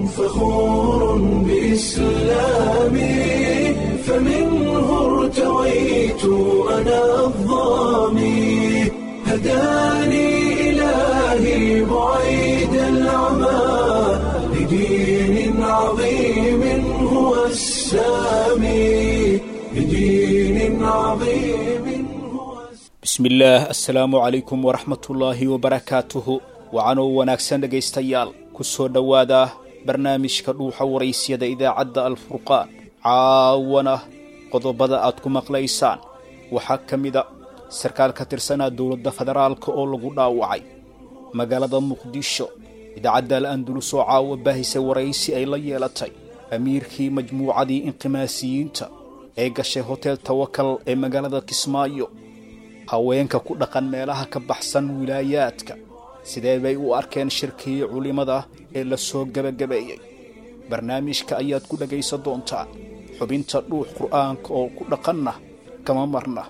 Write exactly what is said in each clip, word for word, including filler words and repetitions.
فخور بإسلامي، فمنه ارتويت أنا الظامي، هداني إلهي بعيد العمى لدين عظيم هو السامي، لدين عظيم هو. Bismillaah, assalaamu calaykum waraxmatullaahi wabarakaatuhu. Wacanoo wanaagsan dhegaystayaal, ku soo dhowaada barnaamijka Dhuuxa Waraysyada idaacadda Alfurqaan. Caawana qodobada aad ku maqlaysaan waxaa ka mida sarkaal ka tirsanaa dowladda federaalka oo lagu dhaawacay magaalada Muqdisho, idaacadda Al Andulus oo caawa baahisay waraysi ay la yeelatay amiirkii majmuucadii inqimaasiyiinta ee gashay Hotel Tawakal ee magaalada Kismaayo, haweenka ku dhaqan meelaha ka baxsan wilaayaadka sidee bay u arkeen shirkii culimada ee la soo gebagabeeyey? Barnaamijka ayaad ku dhegaysan doontaan. Xubinta Dhuux Qur'aanka oo ku dhaqanna kama marna.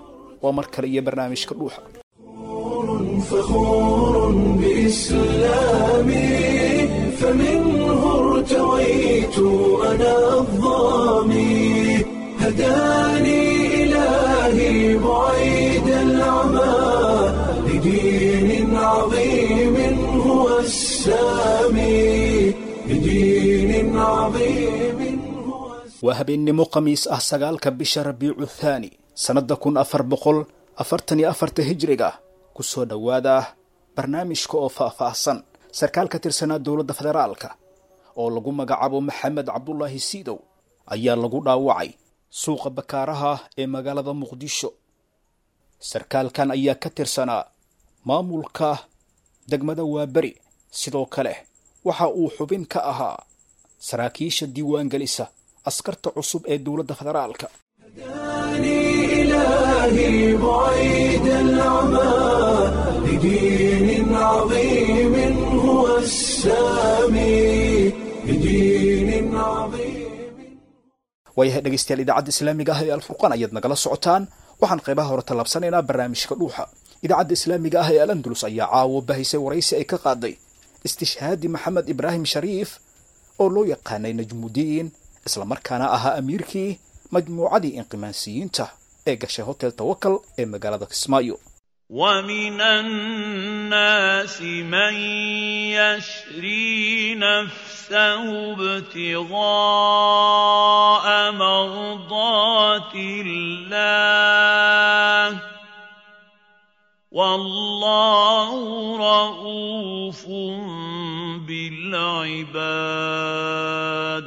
Waa mar kale iyo barnaamijka Dhuuxa. فخور بإسلامي، فمنه ارتويت أنا الظامي، هداني إلهي بعيد العمى لدين عظيم هو السامي، لدين عظيم هو. Waa habeennimo Khamiis ah, sagaalka bisha Rabiicu Thaani, sannadda kun afar boqol afartan iyo afarta hijriga. Ku soo dhowaada barnaamijka oo faah-faahsan. Sarkaal ka tirsanaa dowladda federaalka oo lagu magacaabo Maxamed Cabdulaahi Siidow ayaa lagu dhaawacay suuqa Bakaaraha ee magaalada Muqdisho. Sarkaalkan ayaa ka tirsanaa maamulka degmada Waaberi, sidoo kale waxa uu xubin ka ahaa saraakiisha diiwaangelisa askarta cusub ee dowladda federaalka. هداني إلهي بعيد العمى لدين عظيم هو السامي، لدين عظيم. Waayahay dhegaystayaal, idaacadda islaamiga ah ee Alfurqaan ayaad nagala socotaan. Waxaan qaybaha hore tallaabsanaynaa barnaamijka Dhuuxa. Idaacadda islaamiga ah ee Al Andulus ayaa caawo bahisay waraysi ay ka qaaday istishhaadi Maxamed Ibraahim Shariif oo loo yaqaanay Najmudiin, islamarkaana ahaa amiirkii majmuucadii inqimaansiyiinta ee gashay Hotel Tawakal ee magaalada Kismaayo. ومن الناس من يشري نفسه ابتغاء مرضات الله، والله رؤوف بالعباد.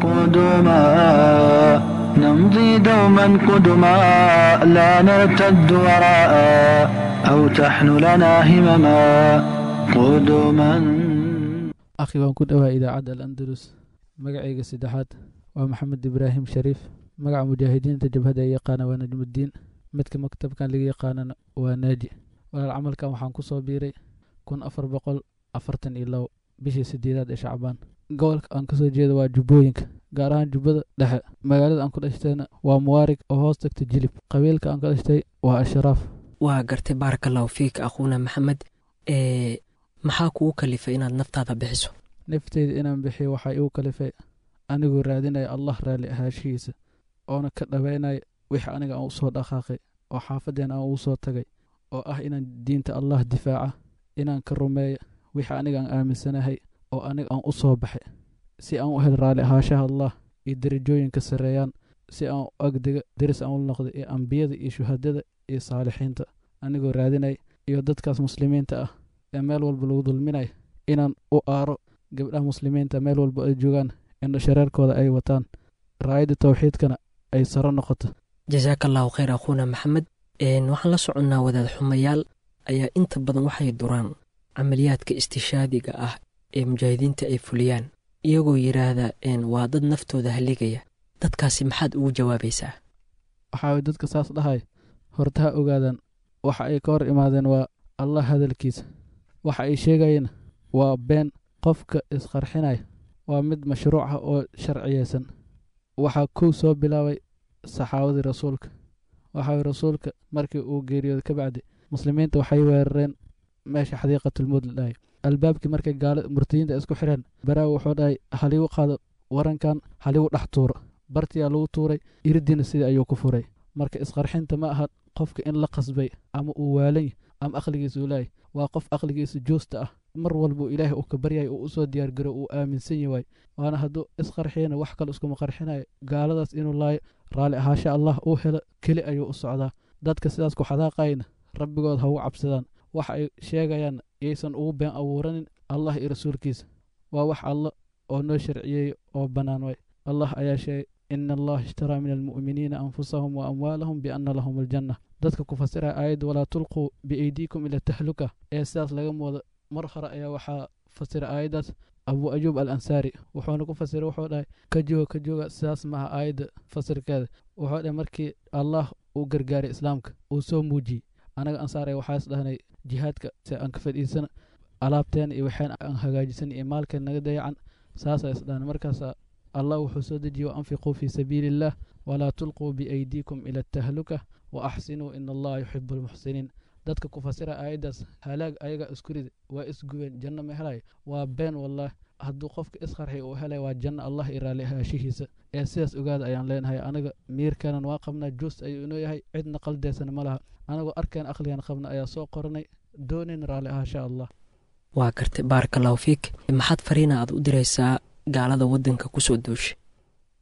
قدما نمضي دوما قدما، لا نرتد وراء أو تحن لنا همما، قدما. Akhi, waan ku dhowaa idaacadda Al Andalus. Magacayga saddexaad waa Maxamed Ibraahim Shariif. Magaca mujaahidiinta jabhadda ay yaqaana waa Najmuddiin, midka maktabkan laga yaqaanana waa Naaji. Walaal, camalkan waxaan ku soo biiray kun afar boqol afartan iyo labo bishii sideedaad ee Shacbaan. Gobolka aan kasoo jeeda waa Jubbooyinka, gaar ahaan Jubbada Dhexe. Magaalada aan ku dhashtayna waa Muwaarig oo hoos tagta Jilib. Qabiilka aan ka dhashtay waa Ashraaf. Waa gartay, baaraka allahu fiik akhuuna Maxamed. Ee maxaa kugu kalifay inaad naftaada bixiso? Nafteyda inaan bixiyo waxaa igu kalifay anigoo raadinaya Allah raalli ahaashihiisa, oona ka dhabaynaya wixii aniga aan usoo dhaqaaqay oo xaafadeen aan ugu soo tagay, oo ah inaan diinta Allah difaaca, inaan ka rumeeya wixii aniga aan aaminsanahay oo aniga aan u soo baxay, si aan u hel raalli ahaashaha Allah iyo darajooyinka sarreeyaan, si aan u agdega deris aan u noqday iyo ambiyada iyo shuhadada iyo saalixiinta anigoo raadinaya, iyo dadkaas muslimiinta ah ee meel walba lagu dulminayo inaan u aaro, gabdhaha muslimiinta meel walba ay joogaan indho shareerkooda ay wataan, raayadda tawxiidkana ay saro noqoto. Jasaaka allahu khayr akhuuna Maxamed. Waxaan la soconnaa wadaad xumayaal ayaa inta badan waxay duraan camaliyaadka istishaadiga ah ee mujaahidiinta ay fuliyaan, iyagoo yidhaahda waa dad naftooda haligaya. Dadkaasi maxaad ugu jawaabaysaa? Waxaa dadka saas dhahay horta ha ogaadaan waxa ay ka hor imaadeen waa Allah hadalkiisa. Waxa ay sheegayeen waa been. Qofka isqarxinaya waa mid mashruuc ah oo sharciyeysan. Waxaa kow soo bilaabay saxaabadii rasuulka. Waxaa rasuulka markii uu geeriyooday ka bacdi Muslimiinta waxay weerareen meesha xadiiqatulmowd la dhahay. Albaabkii markay gaala murtadiinta isku xireen, Baraawi wuxuu dhahay haligu qaado warankan, haligu dhex tuuro. Bartiyaa lagu tuuray, iridiina sidii ayuu ku furay. Marka isqarxinta ma aha qofka in la qasbay ama uu waalan ama aqligiisa uu laayay. Waa qof aqligiisa joosta ah, mar walbuu Ilaahay uu ka baryay, uu usoo diyaargaro, uu aaminsan yahay. Waana hadduu isqarxiyana wax kale iskuma qarxinayo, gaaladaas inuu laayo, raalli ahaasha Allah uu helo keli ayuu u socdaa. Dadka sidaas ku xadaaqayna rabbigood ha ugu cabsadaan, wax ay sheegayaan yaysan ugu been abuuranin Allah iyo rasuulkiisa. Waa wax Alla oo noo sharciyeeyey oo bannaan way. Allah ayaa sheegay, ina Allaha ishtaraa min almu'miniina anfusahum wa amwaalahum bianna lahum aljanna. Dadka ku fasiraya aayadda walaa tulquu biaydiikum ila tahluka ee sidaas laga moodo, mar hore ayaa waxaa fasira aayaddaas Abu Ayuub al Ansaari, wuxuuna ku fasiray, wuxuu dhahay ka jooga, ka jooga, sidaas maaha aayadda fasirkeeda. Wuxuu dhahay markii Allah uu gargaaray islaamka uu soo muujiyey, anaga Ansaar waxaas dhahnay jihaadka si aan ka fadhiisana, alaabteena iyo waxeen aan hagaajisan iyo maalkeen naga dayacan, saasaa is dhahnay. Markaasaa Allah wuxuu soo dejiyey waanfiquu fii sabiili illah walaa tulquu biaydiikum ila atahluka wa axsinuu ina Allaha yuxibu almuxsiniin. Dadka ku fasira aayaddaas halaag ayaga isku rida, waa isgubeen, janno ma helay, waa been wallahi. Hadduu qofka isqarxiy uu helay waa janno Allah iyo raalli ahaashihiisa. Ee sidaas ogaada ayaan leenahay. Anaga miirkanan waa qabnaa, joos ayuu inoo yahay, cidna qaldeysana ma laha. Anagoo arkeen aqligan qabna ayaa soo qoranay, doonayn raalli ahaasha Allah. Waa gartay, baaraka allahu fiik. Maxaad fariina aad u diraysaa gaalada waddanka kusoo duushay?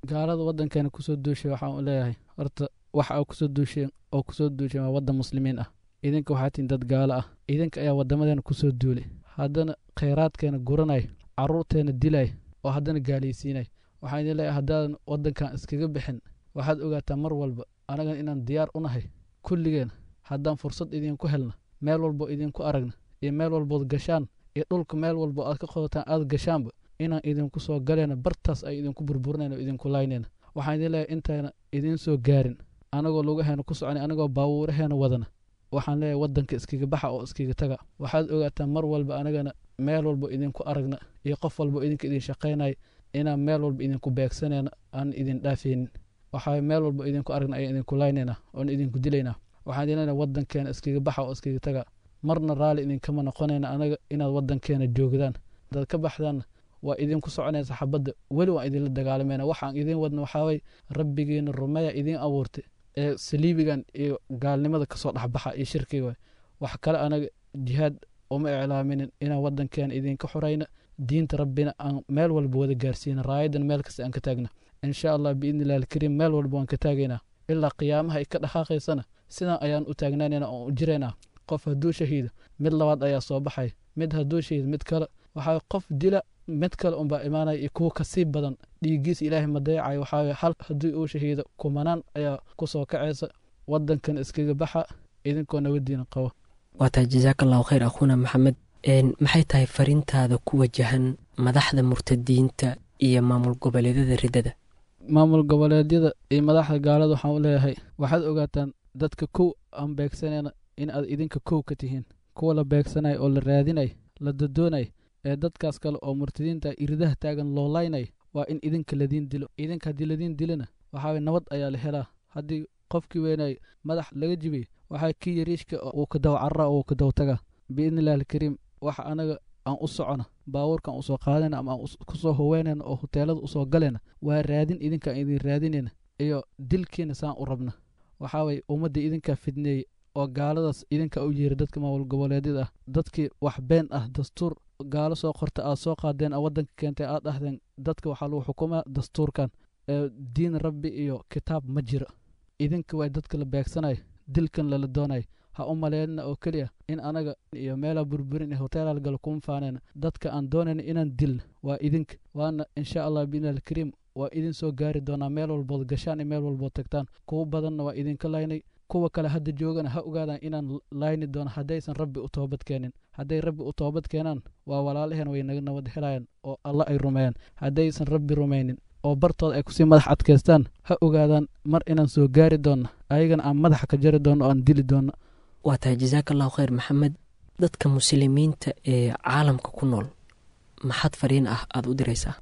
Gaalada waddankeena kusoo duushay waxaan u leeyahay, horta waxa aa kusoo duusheen oo kusoo duusheen waa waddan muslimiin ah. Idinka waxaa tihiin dad gaalo ah, idinka ayaa waddamadeena kusoo duulay, haddana khayraadkeena guranay, carruurteena dilay, oo haddana gaalaysiinay. Waxaan idin leeyahay, haddaadan waddankan iskaga bixin, waxaad ogaataa mar walba anagan inaan diyaar u nahay kulligeen. Haddaan fursad idinku helna, meel walbo idinku aragna iyo meel walbood gashaan iyo dhulka meel walbo aad ka qodataan aad gashaanba, inaan idinku soo galayna, bartaas ay idinku burburinayna oo idinku laynayna. Waxaan idin leeyahay, intayna idiin soo gaarin, anagoo lugaheena ku soconay, anagoo baabuuraheena wadana, waxaan leeyahay waddanka iskaga baxa oo iskaga taga. Waxaad ogaataa mar walba anagana meel walbo idinku aragna iyo qof walbo idinka idin shaqaynaya inaan meel walba idinku beegsanayna, aan idin dhaafaynin. Waxaa meel walba idinku aragna ayaan idinku laynayna oon idinku dilaynaa. Waxaan idin leenahay waddankeena iskaga baxa oo iskaga taga. Marna raalli idinkama noqonayna anaga inaad waddankeena joogdaan. Hadaad ka baxdaanna waa idinku soconaysa xabadda, weli waan idinla dagaalamayna. Waxaan idin wadna waxaaway rabbigiina rumeeya idiin abuurtay ee saliibigan iyo gaalnimada kasoo dhexbaxa iyo shirkiga waay. Wax kale anaga jihaad uma iclaaminin, inaan waddankeena idinka xurayna, diinta rabbina aan meel walba wada gaarsiina, raayadan meel kasta aan ka taagna insha Allah biidni illahi alkariim. Meel walba waan ka taagaynaa ilaa qiyaamaha ay ka dhaqaaqaysana, sidan ayaan u taagnaanayna oon u jiraynaa. Qof hadduu shahiido, mid labaad ayaa soo baxay, mid hadduu shahiido, mid kale. Waxaa qof dila mid kale unbaa imaanaya iyo kuwa kasii badan. Dhiiggiisa Ilaahay ma dayacayo. Waxaa hal haddii uu shahiido, kumanaan ayaa kusoo kacaysa. Waddankan iskaga baxa idinkoo nabadiina qabo. Waa tahay, jazaaka allahu khayr akhuuna Maxamed. Maxay tahay fariintaada ku wajahan madaxda murtadiinta iyo maamul goboleedyada riddada? Maamul goboleedyada iyo madaxda gaalada waxaan u leeyahay, waxaad ogaataan dadka kow aan beegsanayna in aad idinka kow ka tihiin, kuwa la beegsanaya oo la raadinay, la dodoonay, ee dadkaas kale oo murtadiinta iridaha taagan loo laynay, waa in idinka ladiin dilo. Idinka haddii ladiin dilona, waxaa nabad ayaa la helaa. Haddii qofkii weynay madax laga jibiyey, waxaa kii yariishka uu ka daw carara oo uu ka daw taga biidni illahi alkariim. Waxa anaga aan u socona, baabuurkaan usoo qaadayna ama aan kusoo howeynayna oo huteelada usoo galayna, waa raadin idinka aan idin raadinayna iyo dilkiina saan u rabna. Waxaa waye ummadda idinkaa fidneeyey oo gaaladaas idinka u yeeray, dadka maamul goboleedyada ah, dadkii wax been ah, dastuur gaalo soo qorta aad soo qaadeen, aad waddanka keentay, aad dhahdeen dadka waxaa lagu xukumaa dastuurkan, ee diin rabbi iyo kitaab ma jiro. Idinka waa dadka la beegsanayo, dilkan lala doonayo. Ha u maleynina oo keliya in anaga iyo meelaa burburin iyo hoteelaa galo kuma faanayna. Dadka aan doonayna inaan dilna waa idinka, waana insha Allah biidni alkariim waa idin soo gaari doonaa meel walbood gashaan iyo meel walbood tagtaan. Kuwa badanna waa idinka laynay, kuwa kale hadda joogana ha ogaadaan inaan layni doono haddaysan rabbi u toobad keenin. Hadday rabbi u toobad keenaan, waa walaalaheen, way naga nabad helayaan oo Alla ay rumeeyaan. Haddaysan rabbi rumaynin oo bartooda ay kusii madax adkaystaan, ha ogaadaan mar inaan soo gaari doonno, ayagana aan madaxa ka jari doonno oo aan dili doonno. Waa tahay, jazaaka allahu khayr Maxamed. Dadka muslimiinta ee caalamka ku nool maxaad fariin ah aada u diraysaa?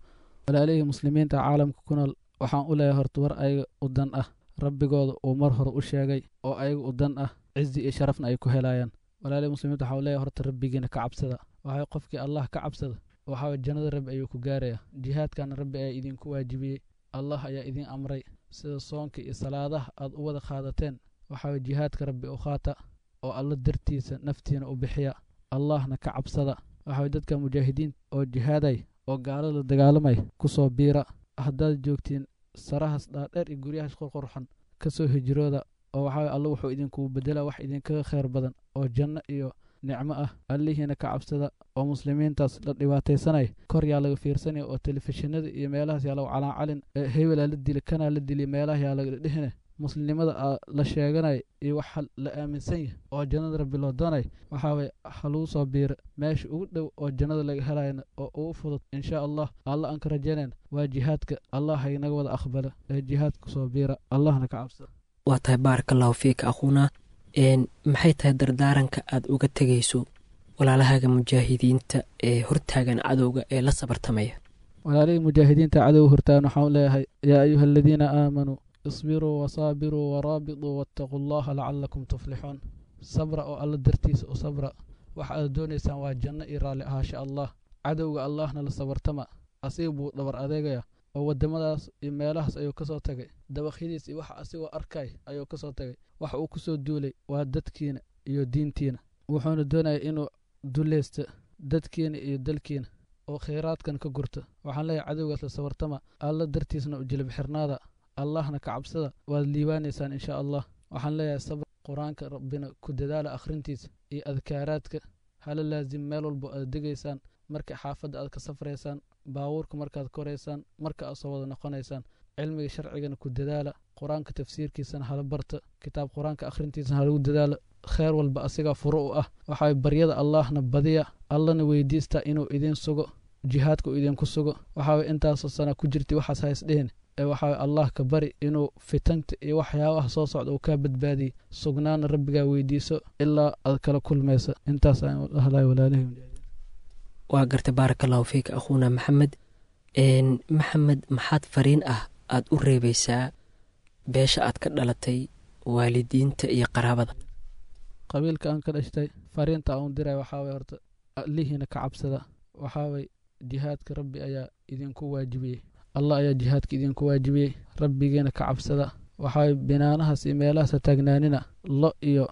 Walaalihii muslimiinta caalamka ku nool waxaan u leeyahay, horta war ayaga u dan ah rabbigooda uu mar hore u sheegay oo ayaga u dan ah. Cizi iyo sharafna ay ku helayaan. Walaalihii muslimiinta waxaa leeyahay horta rabbigiina ka cabsada. Waxaa qofkii Allah ka cabsada waxaa jannada rabbi ayuu ku gaaraya. Jihaadkana rabbi ayaa idinku waajibiyey, Allah ayaa idin amray. Sida soonka iyo salaadaha aad u wada qaadateen, waxaa jihaadka rabbi u qaata oo alla dartiisa naftiina u bixiya, Allahna ka cabsada. Waxaa dadka mujaahidiin oo jihaaday oo gaalada dagaalamay kusoo biira. Haddaad joogtiin sarahaas dhaadheer iyo guryahaas qurqurxan, kasoo hijrooda oo waxaa alla wuxuu idinkugu bedelaa wax idinkaga khayr badan oo janno iyo nicmo ah. Allihiina ka cabsada oo muslimiintaas la dhibaataysanay kor yaa laga fiirsanaya oo telefishinada iyo meelahaas yaa lagu calaacalin, hebelaa la dili, kanaa la dili, meelaha yaa laga dhihine. Muslimnimada la sheeganay iyo waxa la aaminsan yahay oo jannada rabbi loo doonay waxaa waye ha lagu soo biira meesha ugu dhow oo jannada laga helayna oo ugu fudud insha Allah. Alla aan ka rajaynayna waa jihaadka. Allah ha inaga wada aqbala ee jihaadka soo biira, Allahna ka cabsada. Waa tahay, baaraka allahu fiika akhuuna. Maxay tahay dardaaranka aad uga tegayso walaalahaaga mujaahidiinta ee hortaagan cadowga ee la sabartamaya? Walaalihii mujaahidiinta cadowga hortaagan waxaan leeyahay: yaa ayuha aladiina aamanuu isbiruu wasaabiruu waraabituu wattaquu allaha lacalakum tuflixuun. Sabra oo alla dartiisa u sabra. Waxa aad doonaysaan waa janno iyo raalli ahaasha Allah. Cadowga Allahna la sabartama, asiga buu dhabar adeegaya oo waddamadaas iyo meelahaas ayuu kasoo tagay, dabaqyadiis iyo waxa asigoo arkay ayuu kasoo tagay. Waxa uu kusoo duulay waa dadkiina iyo diintiina, wuxuuna doonaya inuu dulleysto dadkiina iyo dalkiina oo khayraadkan ka gurta. Waxaan leeyahay cadowgaas la sabartama, alla dartiisna u jilib xirnaada, Allahna ka cabsada, waad liibaanaysaan insha Allah. Waxaan leeyahay sabr, qur-aanka rabbina ku dadaala akhrintiisa iyo adkaaraadka hala laazim meel walbo aad degaysaan, marka xaafadda aad ka safraysaan, baabuurka markaad koraysaan, marka aad soo wada noqonaysaan. Cilmiga sharcigana ku dadaala, qur-aanka tafsiirkiisana hala barta, kitaab qur-aanka akhrintiisana halagu dadaala. Kheer walba asigaa furo u ah. Waxaa baryada Allahna badiya, Allana weydiista inuu idin sugo, jihaadka uu idinku sugo. Waxaa intaasoo sana ku jirtay waxaas ha isdhihin ee waxaa Allah ka bari inuu fitanta iyo waxyaabaha soo socda uu kaa badbaadiyey. Sugnaana rabbigaa weydiiso ilaa aad kala kulmaysa. Intaas aan hadlaya walaalihi. Waa gartay, baaraka allahu fiika akhuuna Maxamed. Maxamed, maxaad fariin ah aad u reebaysaa beesha aad ka dhalatay, waalidiinta iyo qaraabada? Qabiilka aan ka dhashtay fariinta aan u diray waxaa way horta allihiina ka cabsada. Waxaa way jihaadka rabbi ayaa idinku waajibiyey, Allah ayaa jihaadka idinku waajibiyey, rabbigiina ka cabsada. Waxaa binaanahaas iyo meelahaas ha taagnaanina, lo iyo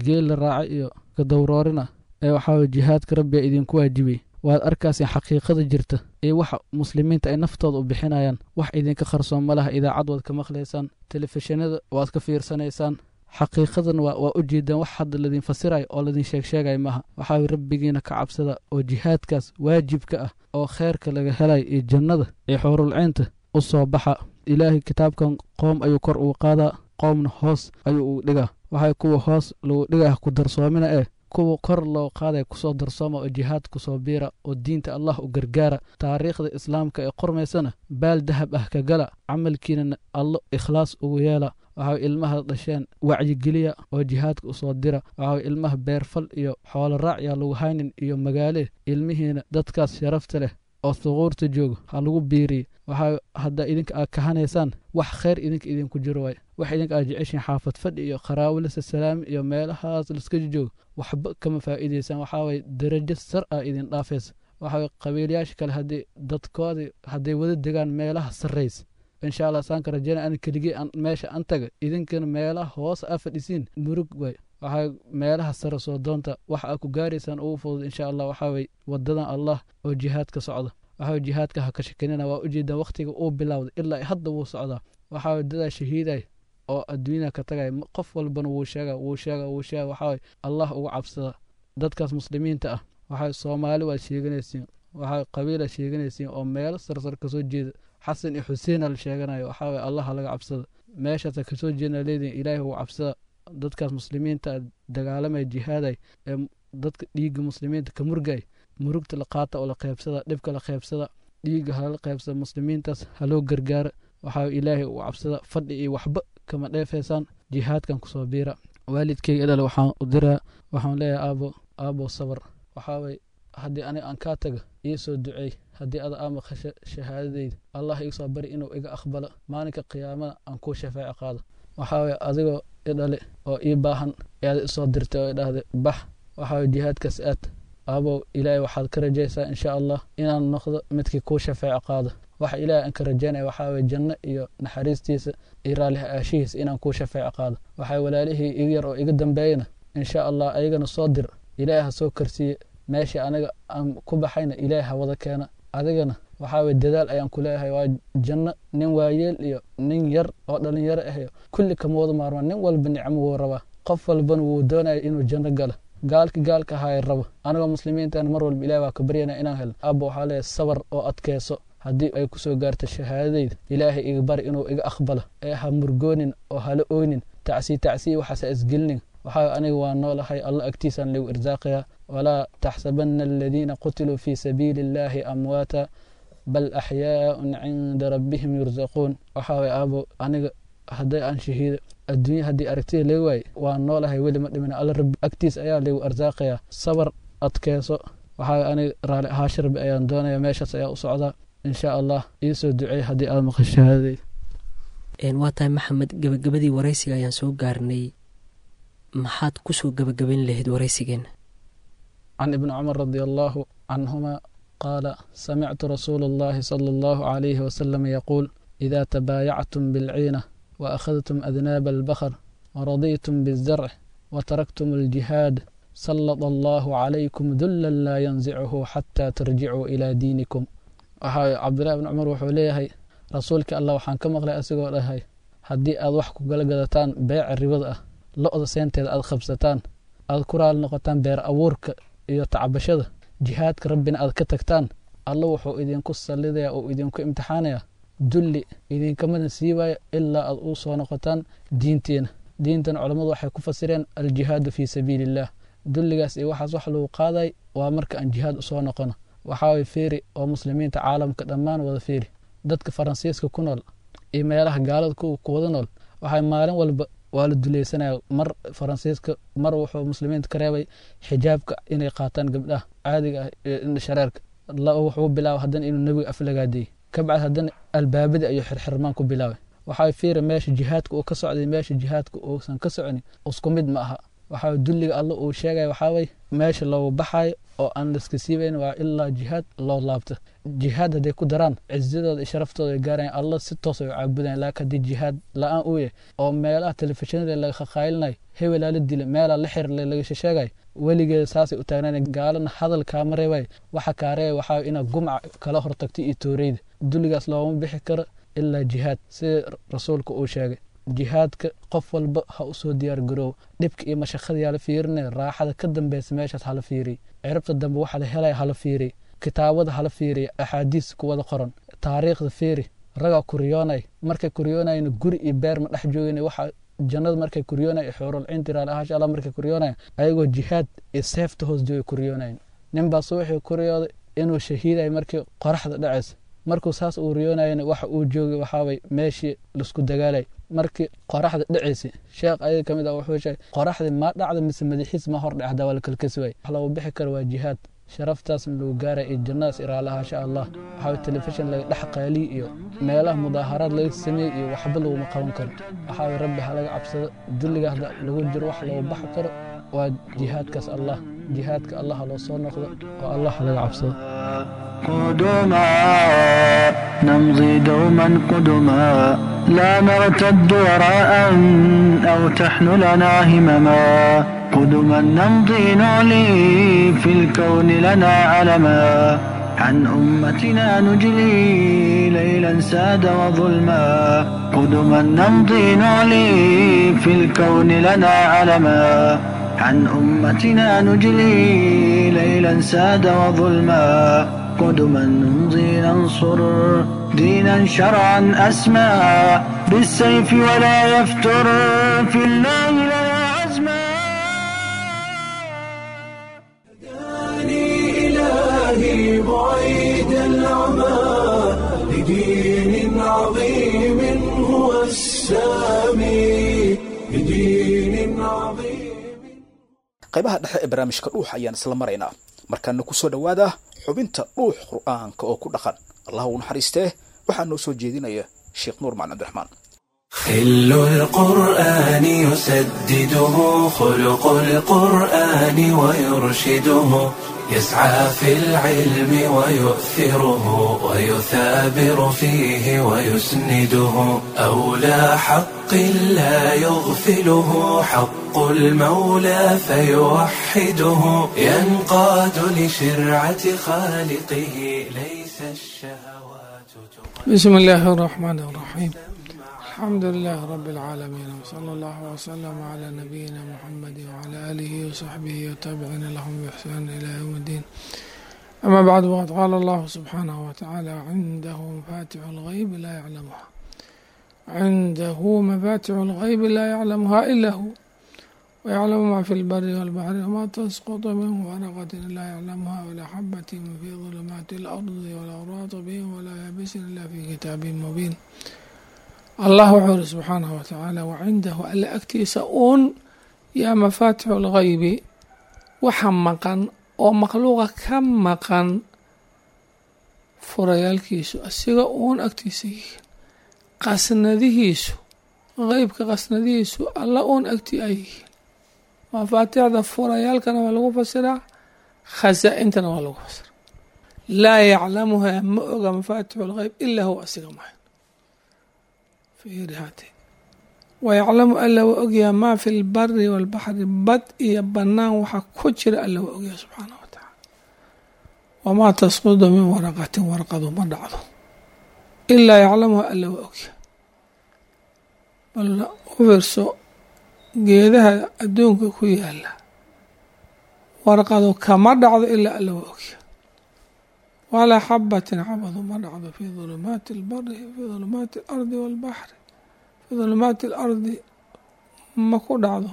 geel la raaca iyo kadowroorina ee waxaa jihaadka rabbi ayaa idinku waajibiyey. Waad arkayseen xaqiiqada jirta iyo waxa muslimiinta ay naftooda u bixinayaan. Wax idinka qarsoon ma laha, idaacad waad ka maqlaysaan, telefishinada waad ka fiirsanaysaan, xaqiiqadan waa waa u jeedaan. Wax hadda ladin fasirayo oo ladin sheeg sheegay maaha. Waxaa rabbigiina ka cabsada oo jihaadkaas waajibka ah oo kheerka laga helay iyo jannada iyo xuurulciinta u soo baxa. Ilaahay kitaabkan qoom ayuu kor ugu qaadaa, qoomna hoos ayuu ugu dhigaa. Waxay kuwa hoos lagu dhigaa ku darsoomina ee kuwa kor loo qaaday kusoo darsooma oo jihaad kusoo biira oo diinta Allah u gargaara. Taariikhda islaamka ee qormaysana baal dahab ah ka gala, camalkiinana Allo ikhlaas ugu yeela. Waxaa ilmaha dhasheen wacyigeliya oo jihaadka usoo dira. Waxaa ilmaha beerfal iyo xoolo raac yaa lagu haynin iyo magaale, ilmihiina dadkaas sharafta leh oo thuquurta jooga ha lagu biiriye. Waxaa haddaa idinka aad kahanaysaan wax khayr idinka idinku jiro waay. Wax idinka aad jeceshiin xaafad fadhi iyo qaraawilasa salaami iyo meelahaas laska joogo waxba kama faa'iidaysaan. Waxaa waye darajo sar ah idin dhaafaysa. Waxaa waye qabiilayaasha kale haddii dadkoodii hadday wada degaan meelaha sarraysa insha Allah saan ka rajaynaya ana keligii aan meesha an taga, idinkana meelaha hoos aa fadhisiin murug waay. Waxaa meelaha sare soo doonta, waxa aad ku gaaraysaan ugu fudud insha Allah. Waxaa waye wadadan Allah oo jihaadka socda. Waxaa jihaadka ha ka shakinina, waa ujeedaan waqtiga uu bilowday ilaa hadda wuu socdaa. Waxaa dadaa shahiiday oo adduunyada ka tagay, qof walbana wuu sheega wuu sheega wuu sheega. Waxaa Allah ugu cabsada dadkaas muslimiinta ah. Waxaa Soomaali waad sheeganaysiin, waxaa qabiila sheeganaysiin oo meelo sarsar kasoo jeeda, Xasan iyo Xuseen la sheeganayo. Waxaa Allah laga cabsada, meeshaas kasoo jeedna leediin, ilaahay ugu cabsada dadkaas muslimiinta dagaalamay jihaaday ee dadka dhiigga muslimiinta ka murgay. Murugta la qaata oo la qaybsada, dhibka la qaybsada, dhiigga hala qaybsada, muslimiintaas haloo gargaara. Waxaa ilaahay ugu cabsada, fadhi iyo waxba kama dheefaysaan, jihaadkan kusoo biira. Waalidkayga idhale waxaan u diraa, waxaan leeyahay aabo, aabo sabar. Waxaa way haddii aniga aan kaa taga ii soo duceey, haddii ada aa maqasho shahaadadeyda Allah iga soo bari inuu iga aqbalo maalinka qiyaamada aan kuu shafaaco qaado. Waxaa waye adigoo i dhali oo ii baahan ayaad isoo dirtay oo i dhahday bax, waxaa waye jihaadkaas aad. Aabow, ilaahay waxaad ka rajaysaa insha allah inaan noqdo midkii kuu shafeeco qaado. Waxa ilaahay aan ka rajaynaya waxaa waye janno iyo naxariistiisa iyo raalli aashihiisa inaan kuu shafeeco qaado. Waxaa walaalihii iga yar oo iga dambeeyana insha allah ayagana soo dir, ilaahay ha soo karsiiye meesha aniga aan ku baxayna, ilaahay ha wada keena. Adigana waxaa waye dadaal ayaan ku leeyahay. Waa janno nin waayeel iyo nin yar oo dhalinyaro ah kulli kama wada maarmaan. Nin walba nicmo wuu rabaa, qof walbana wuu doonaya inuu janno galo. Gaalki gaalka ahaay rabo, anagoo muslimiintan mar walba ilahay waa ka baryana inaan helno. Abba, waxaa leeyahay sabar oo adkeyso. Haddii ay kusoo gaarto shahaadadayda, ilaahay iga bari inuu iga aqbalo, ee ha murgoonin oo hala oynin, tacsii tacsii waxaase isgelinin. Waxaa aniga waa noolahay, alla agtiisaan lagu irsaaqayaa. Walaa taxsabana aladiina qutiluu fii sabiili illaahi amwaata bal axyaaun cinda rabbihim yursaquun. Waxaa waye aabo, aniga hadday aan shahiido adduunya haddii aragtida laga waaye, waa noolahay, weli ma dhimin, alla rabbi agtiis ayaa lagu arsaaqayaa. Sabar, adkeyso. Waxaa aniga raali ahaasha rabbi ayaan doonaya, meeshaas ayaa u socdaa insha allah. Iisoo duceey haddii aad maqasho shahaadadayda. Waa tahay Maxamed, gabagabadii waraysiga ayaan soo gaarnay. Maxaad kusoo gabagabayn lahayd waraysigeena? Can ibni Cumar radia allaahu canhuma qaala: samictu rasuula allahi sala allahu calayhi wasalam yaquul: idaa tabaayactum bilciina wa akhadtum adnaaba albakar waradiitum bizarc wataraktum aljihaad, sallada allahu calaykum dullan laa yanzicuhu xataa tarjicuu ilaa diinikum. Waxaa Cabdillahi bni Cumar wuxuu leeyahay, rasuulka allah waxaan ka maqlay asigoo dhahay: haddii aad wax ku gala gadataan beeca ribada ah, lo-da seenteeda aad qabsataan, aad ku raali noqotaan beer abuurka iyo tacbashada, jihaadka rabbina aad ka tagtaan, alla wuxuu idinku sallidayaa oo idinku imtixaanayaa dulli idinkamana siibaaya ilaa aad u soo noqotaan diintiina. Diintan culammadu waxay ku fasireen aljihaadu fii sabiili illaah. Dulligaas iyo waxaas wax lagu qaaday waa marka aan jihaad usoo noqono. Waxaa way fiiri oo muslimiinta caalamka dhammaan wada fiiri, dadka Faransiiska ku nool iyo meelaha gaalada ku wada nool, waxay maalin walba waa la dulaysanaya. Mar Faransiiska mar wuxuu muslimiinta ka reebay xijaabka inay qaataan gabdhaha caadiga ah iyo indha shareerka. Wuxuu bilaabay haddana inuu nebiga aflagaadeeyey, kabacdi haddana albaabadii ayuu xirxirmaan ku bilaabay. Waxaa fiiri meesha jihaadka uu ka socday, meesha jihaadka uusan ka soconin isku mid ma aha. Waxaa dulliga alla uu sheegaya waxaa way meesha loogu baxayo oo aan laiska siibayn waa ilaa jihaad loo laabto. Jihaad hadday ku daraan, cizadooda iyo sharaftooda ay gaarayan, alla si toos ay u caabudayan. Laakiin haddii jihaad la-aan uu yahay oo meelaha telefishinada laga khaqaylinayo, hebelaa la dila, meelaa la xirle laga sheegayo, weligeeda saasay u taagnaana. Gaalana hadal kaama reebay, waxa kaa reebay waxaa inaad gumca kala hortagto iyo tooreyda. Dulligaas looma bixi karo ilaa jihaad, sida rasuulka uu sheegay. Jihaadka qof walba ha usoo diyaar garoowo. Dhibka iyo mashaqada yaa la fiirinaya, raaxada ka dambeysa meeshaas hala fiiriy, ciribta dambe waxa la helaya hala fiiriy, kitaabada hala fiiriy, axaadiis ku wada qoran, taariikhda fiiri. Ragaa kuriyoonay, markay kuriyoonayna guri iyo beer ma dhex joogin. Waxa jannada markay kuriyoonay, xuurul cinti raali ahaash allah markay kuriyoonay, ayagoo jihaad iyo seefta hoos joogay kuriyoonayn. Nin baa subaxii kuriyooday inuu shahiiday markii qoraxda dhacaysa. Markuu saas uu riyoonayana waxa uu joogay waxaaway meeshii laisku dagaalay markii qoraxda dhacaysay. Sheekh ayaga kamid ah wuxuu sheegay qoraxdii ma dhacda mise madaxiis ma hor dhacda, waa la kalkasi waay. Wax loogu bixi karo waa jihaad, sharaftaasna lagu gaaray iyo jannadaas iraalahaasha allah. Waxaa telefishin laga dhex qaaliy iyo meelaha mudaaharaad laga sameeyey iyo waxba laguma qaban karo. Waxaa way rabbi ha laga cabsado. Dulliga hadda lagu jiro wax loogu baxi karo waa jihaadkaas. Allah jihaadka allah ha loo soo noqdo oo allah ha laga cabsado. قدما نمضي دوما قدما، لا نرتد وراء أو تحن لنا همما. قدما نمضي نعلي في الكون لنا علما، عن أمتنا نجلي ليلا ساد وظلما. قدما نمضي نعلي في الكون لنا علما، عن أمتنا نجلي ليلا ساد وظلما. قدما نمضي ننصر دينا شرعا أسمى، بالسيف ولا يفتر في الله لنا عزما. هداني إلهي بعيد العمى لدين عظيم هو السامي، لدين عظيم. Qaybaha dhexe ee barnaamijka Dhuux ayaan isla maraynaa. Markaana ku soo dhowaada xubinta Dhuux Qur'aanka oo ku dhaqan. Allah uu naxariistee, waxaa noo soo jeedinaya Sheekh Nuur Macalin Cabdiraxmaan. خل القرآن يسدده خلق القرآن ويرشده يسعى في العلم ويؤثره ويثابر فيه ويسنده أولى حق لا يغفله حق المولى فيوحده ينقاد لشرعة خالقه ليس الشهوات. بسم الله الرحمن الرحيم. الحمد لله رب العالمين، وصلى الله وسلم على نبينا محمد وعلى آله وصحبه وتابعين لهم بإحسان إلى يوم الدين. أما بعد، وقد قال الله سبحانه وتعالى: عنده مفاتح الغيب لا يعلمها عنده مفاتح الغيب لا يعلمها إلا هو ويعلم ما في البر والبحر وما تسقط من ورقة لا يعلمها ولا حبة في ظلمات الأرض ولا رطب ولا يابس إلا في كتاب مبين. Allah wuxuu iri subxaanahu watacaala: wacindahu, alle agtiisa uun yaa mafaatixu lghaybi, waxa maqan oo makhluuqa ka maqan furayaalkiisu asiga uun agtiisa yihiin, qasnadihiisu, qeybka qasnadihiisu alla uun agtii ay yihiin. Mafaatixda furayaalkana waa lagu fasiraa, khasaa-intana waa lagu fasiraa. Laa yaclamuhaa, ma oga mafaatixu lghayb ilaa huwa, asiga mahan. Wayaclamu, alla waa ogyaha, maa fi lbari walbaxri, bad iyo banaan waxa ku jira alla waa ogyaha subxaanah wa tacaala. Wamaa tasqudu min waraqatin, warqadu ma dhacdo, ilaa yaclamuha, alla waa ogyaha. Bal u fiirso geedaha adduunka ku yaala, warqadu kama dhacdo ilaa alla waa ogyaha. Walaa xabatin, xabadu ma dhacdo, fii dulumaati albari, fii dulumaati alardi walbaxri, fii dulumaati alardi ma ku dhacdo.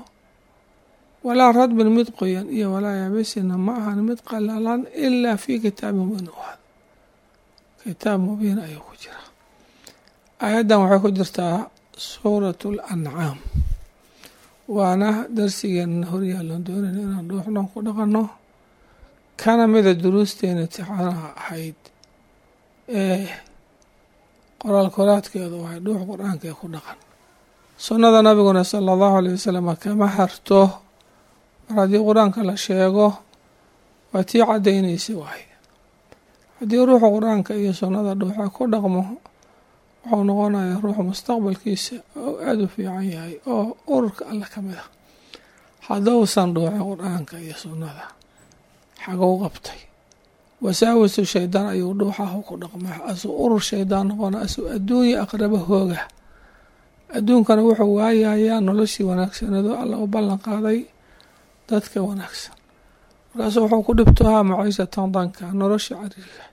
Walaa radbin, mid qoyan, iyo walaa yaabisina, ma ahan mid qalalan, ilaa fii kitaabin mubiin u ahad, kitaab mubiin ayuu ku jiraa. Aayaddan waxay ku jirtaa suuratu alancaam, waana darsigeena horyaalon doonayna inaan dhuuxnoon ku dhaqanno, kana mida duruusteena imtixaanaha ahayd ee qoraal koraadkeedu waxay dhuux qur-aanka ee ku dhaqan. Sunnada nabiguna sala allahu aleyh wasalam kama harto, mar haddii qur-aanka la sheego waa tii caddaynaysa waaye. Haddii ruuxa qur-aanka iyo sunnada dhuuxa ku dhaqmo, wuxuu noqonayaa ruuxa mustaqbalkiisa oo aada u fiican yahay oo ururka alle ka mid ah. Haddousan dhuuxin qur-aanka iyo sunnada, xagow qabtay? Wasaawisu shaydaan ayuu dhuuxahu ku dhaqmaa, asuu urur shaydaan noqona, asuu adduunya aqrabo hooga. Adduunkana wuxuu waayayaa noloshii wanaagsanado alla u ballan qaaday dadka wanaagsan. Markaasuu wuxuu ku dhibtohaa maciishatan danka, nolosha cariiriga.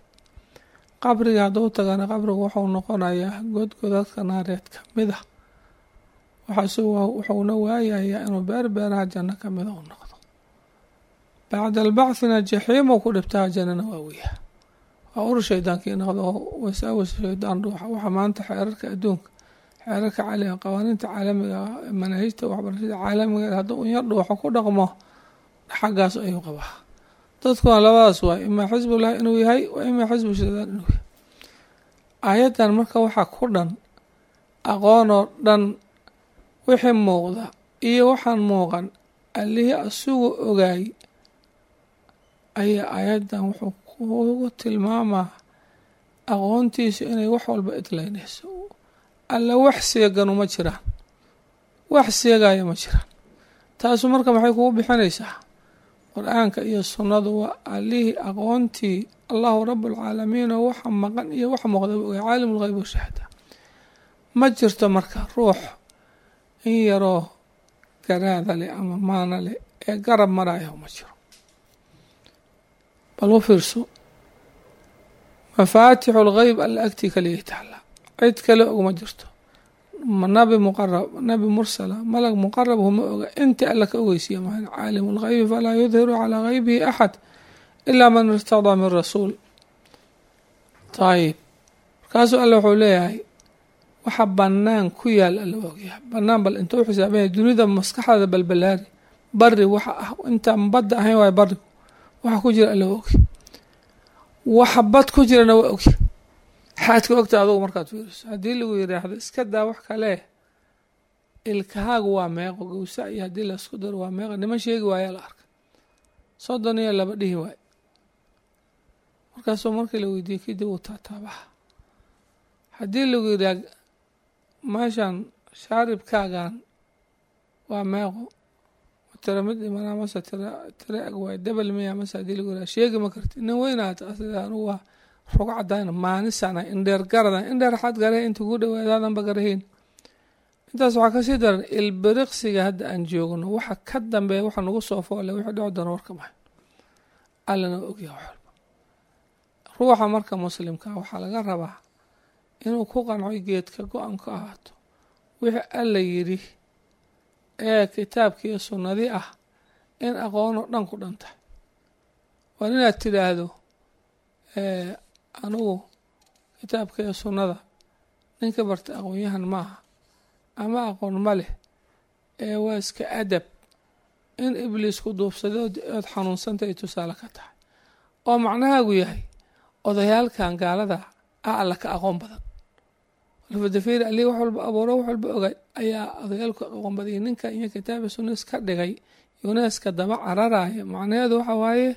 Qabriga hadduu tagana, qabrigu wuxuu noqonayaa godgodadka naareed ka mid ah. Waxaase wuxuuna waayayaa inuu beer beeraha janno ka mida u noqdo. Bacda albacthina jaxiimuu ku dhibtaa, jannana waa weyaa. Waa urur shaydaankii noqdo oo wasaawis shaydaan dhuuxa. Waxa maanta xeerarka adduunka, xeerarka caalamiga, qawaaniinta caalamiga, manaahijta waxbarashada caalamiga, hadduu unyar dhuuxo ku dhaqmo, xaggaas ayuu qabaa. Dadkuna labadaas waay, imaa xisbullahi inuu yahay wa imaa xisbu shaydaan inuu yahay. Aayaddan marka waxaa ku dhan aqoonoo dhan, wixii muuqda iyo waxaan muuqan allihii asugu ogaay ayaa aayaddan wuxuu kugu tilmaamaa aqoontiisu inay wax walba idlaynayso. Alla wax seeganu ma jiraan, wax seegaya ma jiraan. Taasu marka maxay kugu bixinaysaa? Qur-aanka iyo sunnadu waa allihii aqoontii allahu rabbulcaalamiin oo waxa maqan iyo waxa muuqdaba ogay, caalim lghayb washahaada. Ma jirto marka ruux in yaroo garaada leh ama maana leh ee garab maraya ma jiro. Bal u fiirso, mafaatixu lghayb alla agtii kaliya taala, cid kale ogma jirto. Nabi muqarab, nabi mursala, malag muqarab huma oga, inta alla ka ogeysiiya mahan. Caalimu lghaybi falaa yudhiru calaa ghaybihi axad ilaa man irtadaa min rasuul. Ayib, markaasuu alla wuxuu leeyahay waxa banaan ku yaal alla waa ogyahay. Banaan bal intuu xisaabanya dunida maskaxdaada balbalaari, bari waxa ah intaan badda ahayn waay barigu waxa ku jira alla waa ogyahay, waxa bad ku jirana waa ogyahay. Xaadka ogta adugu markaad fiiriso, haddii lagu yiraahdo iska daa wax kale, Ilkahaagu waa meeqo gowsa iyo haddii laisku daro waa meeqo? Niman sheegi waayaa la arkay, soddon iyo laba dhihi waay. Markaasuu markii la weydiiyey kadib uu taataabaha. Haddii lagu yidhaha meeshan shaaribkaagan waa meeqo, tira mid dhimanaa mase tira tira eg waay, debel miya mase, haddii lagu yidhaha sheegi ma karti. Nin weynaata sida anugu waa rog cadaan maanisana indheer garadan indheer xaad gare inta kugu dhawaadaadanba garahayn. Intaas waxaa kasii daran ilbiriqsiga hadda aan joogno waxa ka dambeeya, waxa nagu soo foole, wixii dhici doona warka mahay. Allana waa ogyaha wax walba. Ruuxa marka muslimka waxaa laga rabaa inuu ku qanco geedka go-an ka ahaato wixii Alla yidhi ee kitaabkiiyo sunnadii ah in aqoonoo dhan ku dhan tahay. Waa inaad tidhaahdo anigu kitaabka iyo sunnada ninka barta aqoon-yahan maaha ama aqoon ma leh, ee waa iska adab in ibliis ku duubsaday ood xanuunsanta ay tusaale ka tahay, oo macnahaagu yahay odayaalkan gaalada ah Alla ka aqoon badan. Alfadafiir Ali wax walba abuuro, wax walba ogay ayaa odayaalku aqoon badayay. Ninka iyo kitaaba sunna iska dhigay yuneska daba cararaya, macnaheedu waxa waaye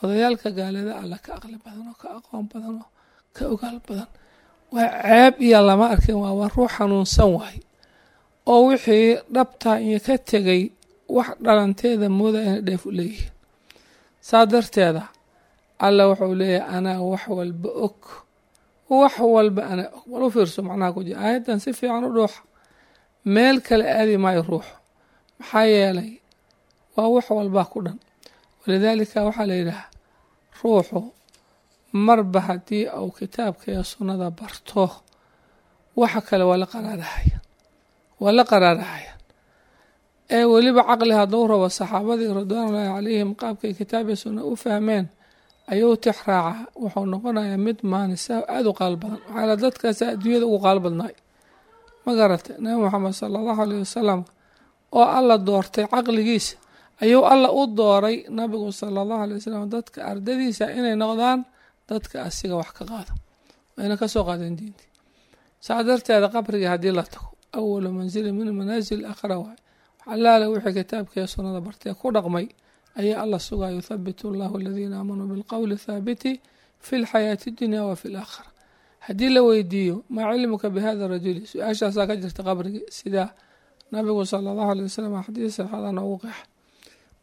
odayaalka gaalada Alla ka aqli badan oo ka aqoon badan oo ka ogaal badan. Waa ceeb iyo lama arkin, waa waa ruux xanuunsan waay oo wixii dhabtaa iyo ka tegay wax dhalanteeda mooda inay dheef u leeyihiin. Saa darteeda Alla wuxuu leeyahay anaa wax walba og, wax walba anaa og. Bal u fiirso macnaha ku jira aayaddan si fiican u dhuuxa, meel kale aadi maayo ruuxu, maxaa yeelay waa wax walbaa ku dhan. Walidaalika waxaa la yidhaha ruuxu marba haddii uu kitaabka iyo sunnada barto waxa kale waa la qaraarahaya, waa la qaraarahaya. Ee weliba caqli hadduu rabo saxaabadii ridwaanullaahi calayhim qaabkay kitaab iyo sunna u fahmeen ayuu tix raaca, wuxuu noqonayaa mid maanisa aada u qaal badan. Waxaa la dadkaasa adduunyada ugu qaal badnaay, ma garatay? Nabi Moxamed sala allahu aleyh wasalam oo Alla doortay caqligiisa ayuu Alla u dooray nabigu sala allahu alay wasalam dadka ardadiisa inay noqdaan dadka asiga wax ka qaada, wayna ka soo qaadeen diintii. Saa darteeda qabriga haddii la tago awalu manzili min manaasil aakhira waay. Allaale wixii kitaabka iyo sunnada bartee ku dhaqmay ayaa Alla sugaa, yuthabitu allahu aladiina aamanuu bilqowli thaabiti fi lxayaati dunya wa fi laakhira. Haddii la weydiiyo maa cilmuka bihada rajuli, su-aashaasaa ka jirta qabrigi, sida nabigu sala allahu alay wasalam xadiis saxaada noogu qeexa.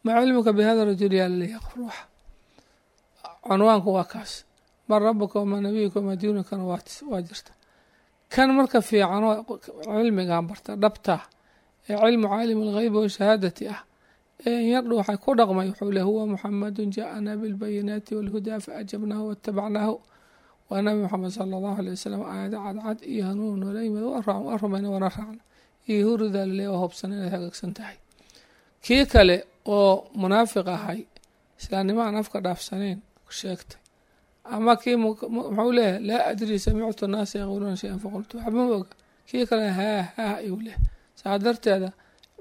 Maa cilmuka bihada rajuli yaa laleeyahay qof ruuxa, cunwaanku waa kaas. Man rabuka wamaa nabiyuka wamaa diinukana waa jirta. Kan marka fiicanoo cilmigan barta dhabta ee cilmu caalim algheybi washahaadati ah ee inyardhu waxay ku dhaqmay, wuxuu leh huwa Muxamadun jaaana bilbayinaati walhudaa faajabnaahu watabacnaahu. Waa nabi Moxamed sala allahu alay wasalam aayado cadcad iyo hanuun noola yimid, waa rumayna waana raacna iyo huridaa laleeya waa hubsan inaad hagaagsan tahay. Kii kale oo munaafiq ahay islaamnimo aan afka dhaafsanayn sheegtay, ama kii muxuu leeyahay laa adri samictu naasa yaquuluuna shay-an faqultu, waxba ma oga. Kii kale haa haa ayuu leeyahay. Saa darteeda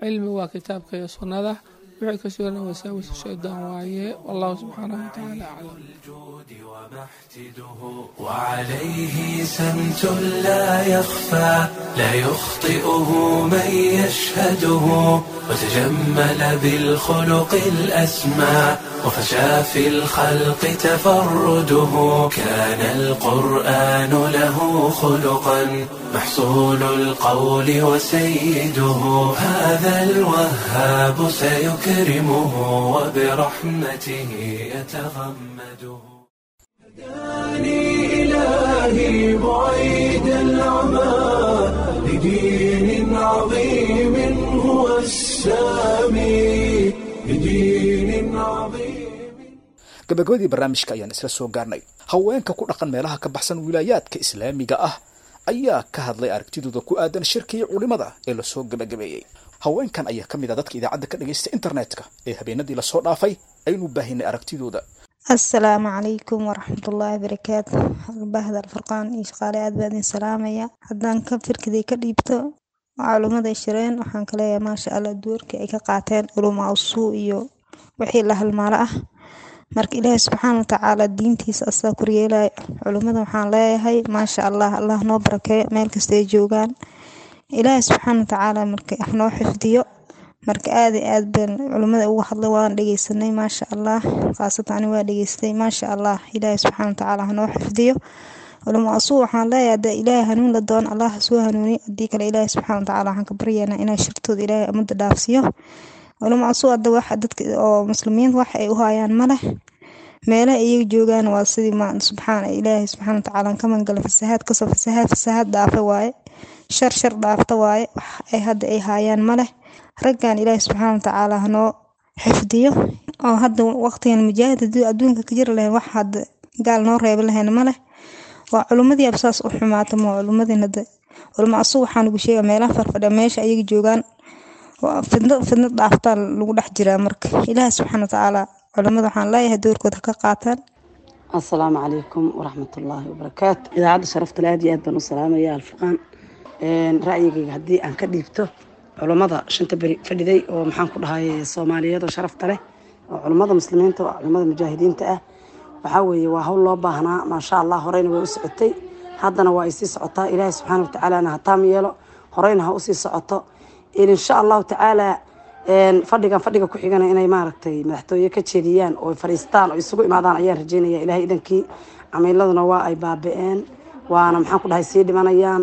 cilmi waa kitaabka iyo sunnada, wixii ka sugan wasaawis shaydaan waaye. Wallahu subxaanahu watacaala aclam. الجود ومحتده وعليه سمت لا يخفى لا يخطئه من يشهده وتجمل بالخلق الأسمى وفشى في الخلق تفرده كان القرآن له خلقا محصول القول وسيده هذا الوهاب سيكرمه وبرحمته يتغمده. هداني إلهي بعيد العمى لدين عظيم هو السامي لدين عظيم. Gabagabadii barnaamijka ayaan isla soo gaarnay. Haweenka ku dhaqan meelaha ka baxsan wilaayaadka islaamiga ah ayaa ka hadlay aragtidooda ku aadan shirkii culimada ee lasoo gabagabeeyey. Haweenkan ayaa ka mid ah dadka idaacadda ka dhagaysta internetka ee habeenadii lasoo dhaafay aynu baahinay aragtidooda. Asalaamu calaykum waraxmatullaahi barakaatu. Bahda Alfurqaan iyo shaqaale aad baa idin salaamaya. Haddaan ka firkiday ka dhiibto culummada shireen, waxaan ka leeyahay maasha Allah doorkii ay ka qaateen culumaa usuu iyo wixii la halmaalo ah. Marka Ilaahay subxaana watacaala diintiisa asaa koryeelaya. Culummada waxaan leeyahay maasha Allah, Allah noo barakeeyo meel kasta ay joogaan. Ilaahay subxaana watacaala marka wax noo xifdiyo. Marka aad iyo aad baan culimada uga hadlay, waan dhegeysanay maasha Allah, khaasatan ani waa dhegeystay maasha Allah. Ilaahay subxaana watacaala hanoo xifdiyo culimo asuu. Waxaan leeyahay hadda Ilaahay hanuun la doon, Allah ha soo hanuuniyo, haddii kale Ilaahay subxaana watacaala waxaan ka baryaynaa inay shirtooda Ilaahay ummadda dhaafsiiyo. Culimo asuu hadda wax dadka oo muslimiinta wax ay u hayaan ma leh, meelaha iyaga joogaan waa sidii ma subxaana Ilaahay subxaana watacaala ka mangala fasahaad kasoo fasahaad fasahaad dhaafa waaye, shar shar dhaafta waaye, wax ay hadda ay haayaan ma leh. Raggan Ilaahay subxaana watacaala hanoo xifdiyo oo hadda waqtigan mujaahid haddii adduunka ka jiri lahayn wax hadda gaal noo reebi lahayn ma leh. Waa culimmadii ab saas u xumaata ma culimmadii hadda culimo asuu waxaan ugu sheega meelaha farfadhiya meesha ayaga joogaan waa fidno fidno dhaaftaa lagu dhex jiraa. Marka Ilaahay subxaana watacaala culimada waxaan leeyahay doorkooda ha ka qaataan. Asalaamu calaykum waraxmatullaahi wabarakaatu. Idaacadda sharafta leh aad iyo aad baan u salaamaya Alfurqaan. Ra'yigayga haddii aan ka dhiibto culummada shanta beri fadhiday oo maxaan ku dhahay Soomaaliyeed oo sharafta leh oo culummada muslimiinta oo culummada mujaahidiinta ah, waxaa weeye waa hawl loo baahnaa maasha Allah. Horeyna way u socotay, haddana waa ay sii socotaa. Ilaahay subxaana watacaalana ha taam yeelo, horeyna ha usii socoto insha Allahu tacaala. Fadhigan fadhiga ku xigana inay maaragtay madaxtooye ka jeediyaan oo fadhiistaan oo isugu imaadaan ayaan rajeynaya Ilahay idankii. Camiiladuna waa ay baaba-een, waana maxaan ku dhahay sii dhimanayaan.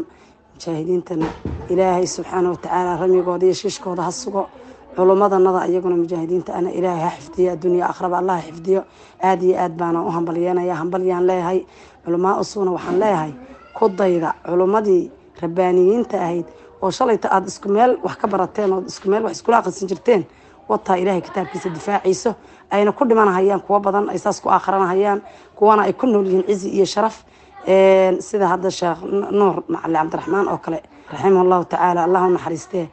Mujaahidiintana Ilaahay subxaana watacaala ramigooda iyo shiishkooda ha sugo. Culummadanada iyaguna mujaahidiinta ana Ilaahay ha xifdiyo, adduunya akhraba Allah ha xifdiyo. Aad iyo aad baana u hambalyeynaya, hambalyaan leeyahay. Culumaa usuuna waxaan leeyahay ku dayda culummadii rabbaaniyiinta ahayd oo shalayta aada isku meel wax ka barateen oo isku meel wax iskula aqrisan jirteen. Wataa Ilaahay kitaabkiisa difaaciiso ayna ku dhimanahayaan, kuwo badan ay saas ku aakhiranahayaan, kuwana ay ku nool yihiin cizi iyo sharaf, sida hadda Sheekh Nuur Macali Cabdiraxmaan oo kale raximah Allahu tacaala, Allah u naxariistee,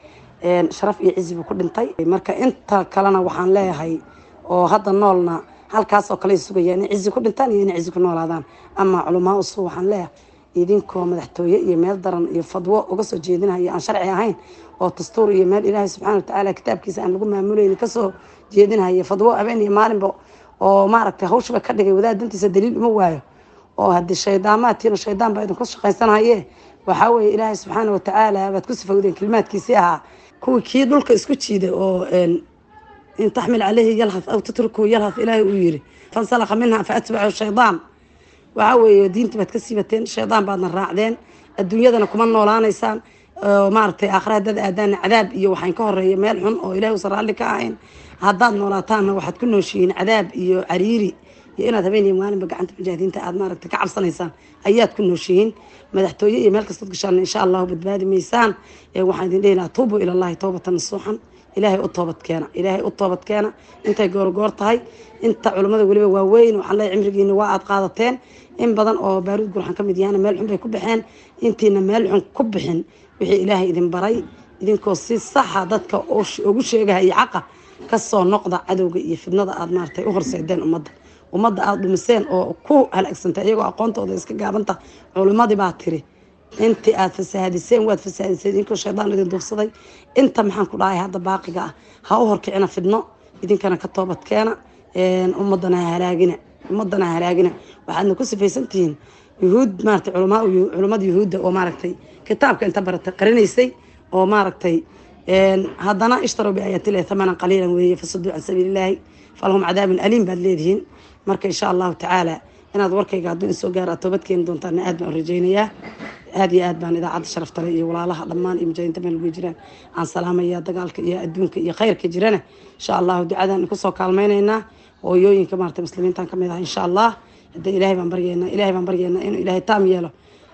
sharaf iyo cizi buu ku dhintay. Marka inta kalena waxaan leeyahay oo hadda noolna halkaas oo kale sugayaan inay cizi ku dhintaan iyo inay cizi ku noolaadaan. Ama culumaa usu waxaan leeyahay idinkoo madaxtooye iyo meel daran iyo fadwo uga soo jeedinaya aan sharci ahayn oo dastuur iyo meel Ilaahay subxaana watacaala kitaabkiisa aan lagu maamuleyn kasoo jeedinaya fadwo habeen iyo maalinba oo maaragtay hawshaba ka dhigay wadaad dantiisa daliil uma waayo oo haddii shaydaamaadtiina shaydaan baa idinku shaqaysanaye. Waxaa weeye Ilaahay subxaana watacaala baad ku sifowdeen kelimaadkiisii ahaa kuwii kii dhulka isku jiiday oo in taxmil caleyhi yalhath aw tatrukuhu yalhath Ilaahay uu yiri, fansalakha minha fa atbacahu shaydaan. Waxaa weeye diinta baad ka siibateen, shaydaan baadna raacdeen, adduunyadana kuma noolaanaysaan, maaragtay aakhira haddaad aadaana cadaab iyo waxaan ka horeeya meel xun oo Ilahay uusan raalli ka ahayn. Haddaad noolaataanna waxaad ku nooshihiin cadaab iyo cariiri iyo inaad habeen iyo maalinba gacanta mujaahidiinta aad maaragtay ka cabsanaysaan ayaad ku nooshihiin. Madaxtooye iyo meel kastood gashaan insha Allahu badbaadi maysaan. Waxaan idin dhihi lahaa tuubu ilallahi towbatan nasuuxan. Ilaahay u toobad keena, Ilaahay u toobad keena intay goorgoor tahay. Inta culummada weliba waaweyn waxaan leeyahay cimrigiina waa aad qaadateen. In badan oo Baaruud Gurxan ka mid yahana meel xun bay ku baxeen. Intiina meel xun ku bixin wixii Ilaahay idin baray idinkoo si saxa dadka ugu sheegahaya xaqa kasoo noqda cadowga iyo fidnada aad maaragtay u horseedeen ummadda, ummadda aada dhumiseen oo ku halaagsantay iyagoo aqoontooda iska gaabanta. Culimmadii baa tiri intii aad fasaahadiseen waad fasaahadiseen idinkoo shaydaan idin duufsaday. Inta maxaan ku dhahay hadda baaqiga ah ha u horkicina fidno, idinkana ka toobad keena, ummadana ha halaagina, ummadana ha halaagina. Waxaadna ku sifaysan tihiin yuhuud maaragtay culamaa culummada yuhuudda oo maaragtay kitaabka inta baratay qarinaysay oo maaragtay haddana ishtaruu biaayaatillahi thamanan qaliilan weeye fasaduu can sabiilillaahi falahum cadaabun aliim baad leedihiin. Marka insha Allahu tacaala inaad warkayga hadduu in soo gaaro aad toobad keeni doontaana aad baan u rajaynayaa. Aad iyo aad baan idaacadda sharaftale iyo walaalaha dhammaan iyo mujaahidiinta meel ugu jiraan aan salaamaya. Dagaalka iyo adduunka iyo khayrka jirana insha Allahu ducadan kusoo kaalmaynaynaa. Hooyooyinka maaragtay muslimiintan ka mid ah insha Allah hadda Ilaahay baan baryeynaa, Ilaahay baan baryeynaa inuu Ilaahay taam yeelo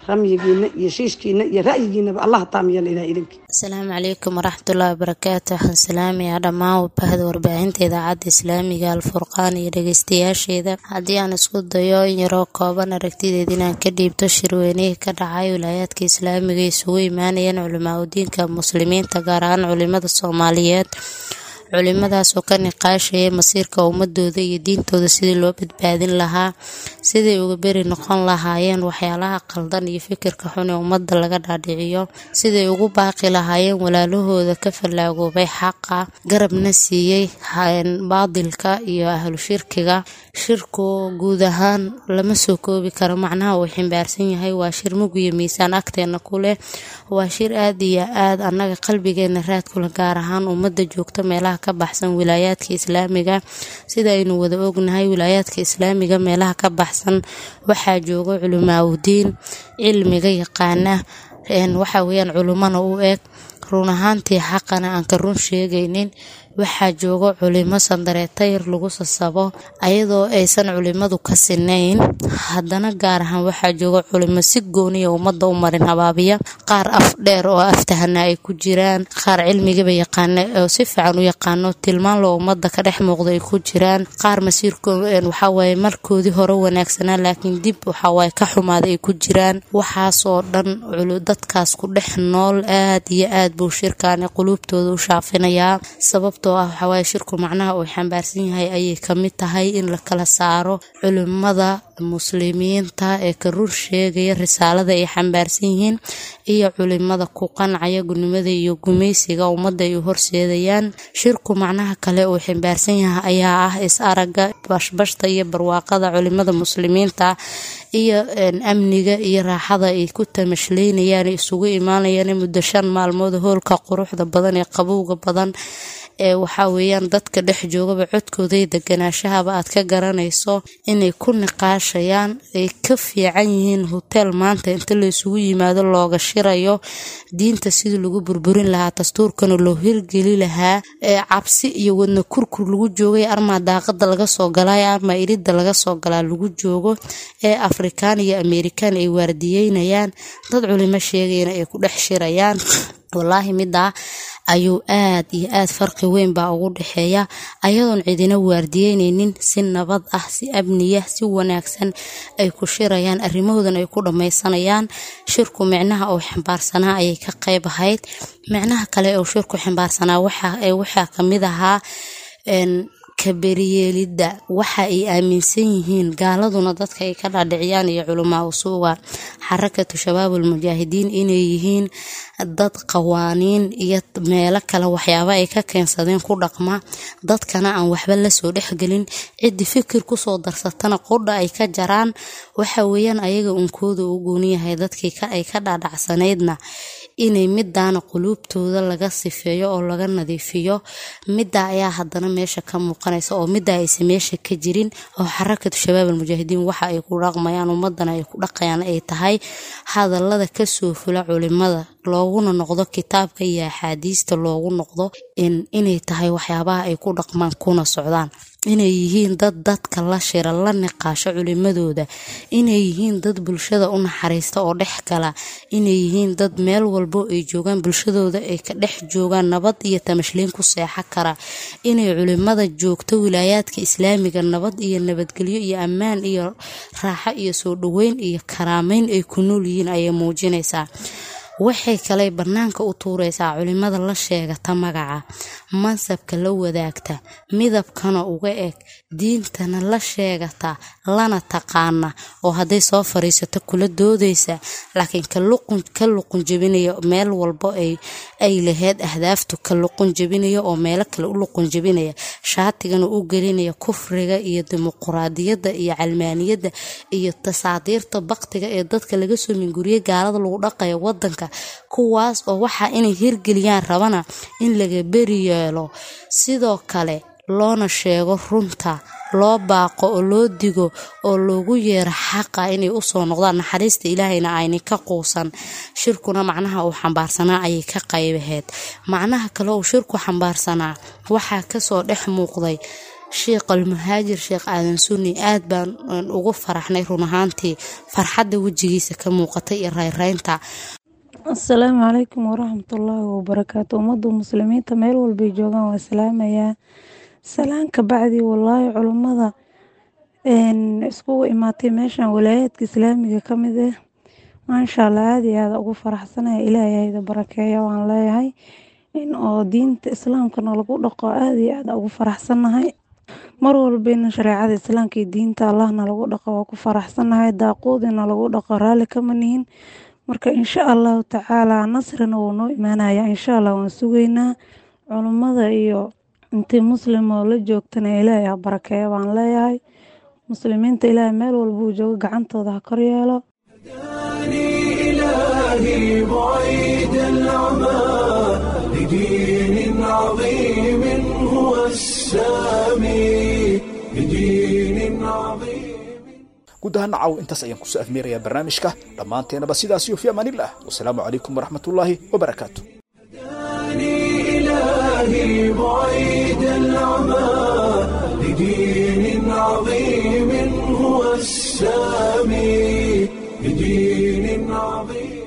ramyigiina iyo shiishkiina iyo ra'yigiinaba, Allah taam yeelo Ilahay idinka. Asalaamu calaykum waraxmatullaahi wabarakaatu. Waxaan salaamayaa dhammaan wabahda warbaahinta idaacadda islaamiga Alfurqaan iyo dhegeystayaasheeda. Haddii aan isku dayo in yaroo kooban aragtideed inaan ka dhiibto shirweynihii ka dhacay wilaayaadka islaamiga isugu imaanayeen culimaa udiinka muslimiinta, gaar ahaan culimada Soomaaliyeed, Culimadaas oo ka niqaashaya masiirka ummadooda iyo diintooda, sidii loo badbaadin lahaa, siday uga beri noqon lahaayeen waxyaalaha qaldan iyo fikirka xun ee ummadda laga dhaadhiciyo, siday ugu baaqi lahaayeen walaalahooda ka fallaagoobay xaqa, garabna siiyey baadilka iyo ahlu shirkiga. Shirku guud ahaan lama soo koobi karo macnaha uu ximbaarsan yahay. Waa shir mug iyo miisaan agteena ku leh, waa shir aad iyo aad annaga qalbigeena raad kula, gaar ahaan ummadda joogta meelaha ka baxsan wilaayaadka islaamiga. Sida aynu wada ognahay, wilaayaadka islaamiga meelaha ka baxsan waxaa jooga culimaaudiin cilmiga yaqaana, waxa weyaan culimana u eg, run ahaantii xaqana aan ka run sheegaynin. Waxaa jooga culimo sandareetayr lagu sasabo, ayadoo aysan culimadu ka sinayn. Haddana gaar ahaan waxaa jooga culimo si gooniya ummadda u marin habaabiya, qaar af dheer oo aftahana ay ku jiraan, qaar cilmigaba yaqaana oo si fiican u yaqaano, tilmaan loo ummadda ka dhex muuqda ay ku jiraan, qaar masiirko waxawaaye markoodii hore wanaagsanaa laakiin dib waxawaaye ka xumaaday ay ku jiraan. Waxaasoo dhan dadkaas ku dhex nool aad iyo aad buu shirkaani quluubtooda u shaafinayaa, sababtoo ah waxawaaye shirku macnaha uu xambaarsan yahay ayay kamid tahay in la kala saaro culimada muslimiinta ee ka run sheegaya risaalada ay xambaarsan yihiin iyo culimada ku qancaya gudnimada iyo gumaysiga ummadda ay u horseedayaan. Shirku macnaha kale uu xambaarsan yahay ayaa ah is aragga, bashbashta iyo barwaaqada culimada muslimiinta iyo amniga iyo raaxada ay ku tamashleynayaan, isugu imaanayaan muddo shan maalmood hoolka quruxda badan ee qabowga badan ee waxaa weeyaan dadka dhex joogaba codkooda iyo deganaashahaba aad ka garanayso inay ku niqaashayaan, ay ka fiican yihiin hotel maanta inta la isugu yimaado looga shirayo diinta sidii lagu burburin lahaa, dastuurkana loo hirgeli lahaa, ee cabsi iyo wadna kurkur lagu joogay, armaa daaqada laga soo galaa, armaa iridda laga soo galaa lagu joogo, ee Afrikaan iyo Ameerikaan ay waardiyeynayaan, dad culimo sheegayana ay ku dhex shirayaan. Wallaahi midaa ayuu aad iyo aad farqi weyn baa ugu dhexeeya, ayadoon cidina waardiyeyneynin, si nabad ah, si amniya, si wanaagsan ay ku shirayaan, arrimahoodan ay ku dhammaysanayaan. Shirku micnaha uu xambaarsanaa ayay ka qayb ahayd. Micnaha kale uu shirku xambaarsanaa waxaa kamid ahaa kaberiyeelidda waxa ay aaminsan yihiin gaaladuna dadka ay ka dhaadhiciyaan iyo culamaa usuuga Xarakatu Shabaabul Mujaahidiin inay yihiin dad qawaaniin iyo meelo kale waxyaaba ay ka keensadeen ku dhaqma, dadkana aan waxba lasoo dhexgelin, ciddi fikir kusoo darsatana qudha ay ka jaraan. Waxa weeyaan ayaga unkooda u gooniyahay, dadkii ay ka dhaadhacsanaydna inay midaana quluubtooda laga sifeeyo oo laga nadiifiyo. Middaa ayaa haddana meesha ka muuqanaysa oo middaa aysan meesha ka jirin, oo Xarakatu Shabaab Almujaahidiin waxa ay ku dhaqmayaan ummadana ay ku dhaqayaan ay tahay hadallada kasoo fula culimada looguna noqdo kitaabka iyo axaadiista loogu noqdo, inay tahay waxyaabaha ay ku dhaqmaan kuna socdaan, inay yihiin dad dadka la shira, la niqaasho culimadooda, inay yihiin dad bulshada u naxariista oo dhex gala, inay yihiin dad meel walbo ay joogaan bulshadooda ay ka dhex joogaan nabad iyo tamashliin ku seexa kara, inay culimada joogto wilaayaadka islaamiga nabad iyo nabadgelyo iyo ammaan iyo raaxo iyo soo dhoweyn iyo karaameyn ay ku nool yihiin ayay muujinaysaa. Waxay kale banaanka u tuuraysaa culimada la sheegata magaca, mansabka la wadaagta, midabkana uga eg, diintana la sheegata lana taqaana, oo hadday soo fariisato kula doodaysa, laakiin ka luqun jebinaya meel walbo ay laheyd ahdaaftu ka luqun jebinaya oo meelo kale u luqun jebinaya, shaatigana u gelinaya kufriga iyo dimuquraadiyadda iyo calmaaniyadda iyo tasaadiirta baktiga ee dadka laga soo minguriyay gaalada lagu dhaqayo wadanka, kuwaas oo waxaa inay hirgeliyaan rabana in laga beri yeelo. Sidoo kale loona sheego runta, loo baaqo oo loo digo oo loogu yeero xaqa inay usoo noqdaan, naxariista ilaahayna ayna ka quusan. Shirkuna macnaha uu xambaarsanaa ayay ka qaybaheed. Macnaha kale uu shirku xambaarsanaa waxaa kasoo dhex muuqday Sheekh Almuhaajir Sheekh Aadan Sunni. Aad baan ugu faraxnay run ahaantii farxadda wejigiisa ka muuqatay iyo rayraynta. Asalaamu calaykum waraxmatullaahi wabarakaatu. Ummadda muslimiinta meel walbay joogaan waa salaamayaa. Salaan ka bacdi, wallaahi culummada iskugu imaatay meeshan walaayaadka islaamiga ka mid ah, maasha Allah, aada iyo aada ugu faraxsanaya. Ilaahay hayda barakeeya waan leeyahay. In oo diinta islaamkana lagu dhaqo aad iyo aad ugu faraxsannahay. Mar walba in shareecada islaamka iyo diinta Allahna lagu dhaqo waa ku faraxsannahay. Daaquudina lagu dhaqo raalli kama nihin. Marka insha Allahu tacaala nasrina wuu noo imaanaya, insha Allah waan sugaynaa. Culummada iyo intii muslim oo la joogtana Ilaahay ha barakeeyo baan leeyahay. Muslimiinta Ilaahay meel walba uu joogo gacantooda ha kor yeelo. إلهي بعيد العمى لدين عظيم هو السامي، لدين عظيم. Guud ahaan nacaw intaas ayaan kusoo afmeerayaa barnaamijka dhammaanteenaba. Sidaas iyo fi amaanillah, wasalaamu calaykum waraxmatullaahi wabarakaatu. إلهي بعيد العمى لدين عظيم هو السامي، لدين عظيم.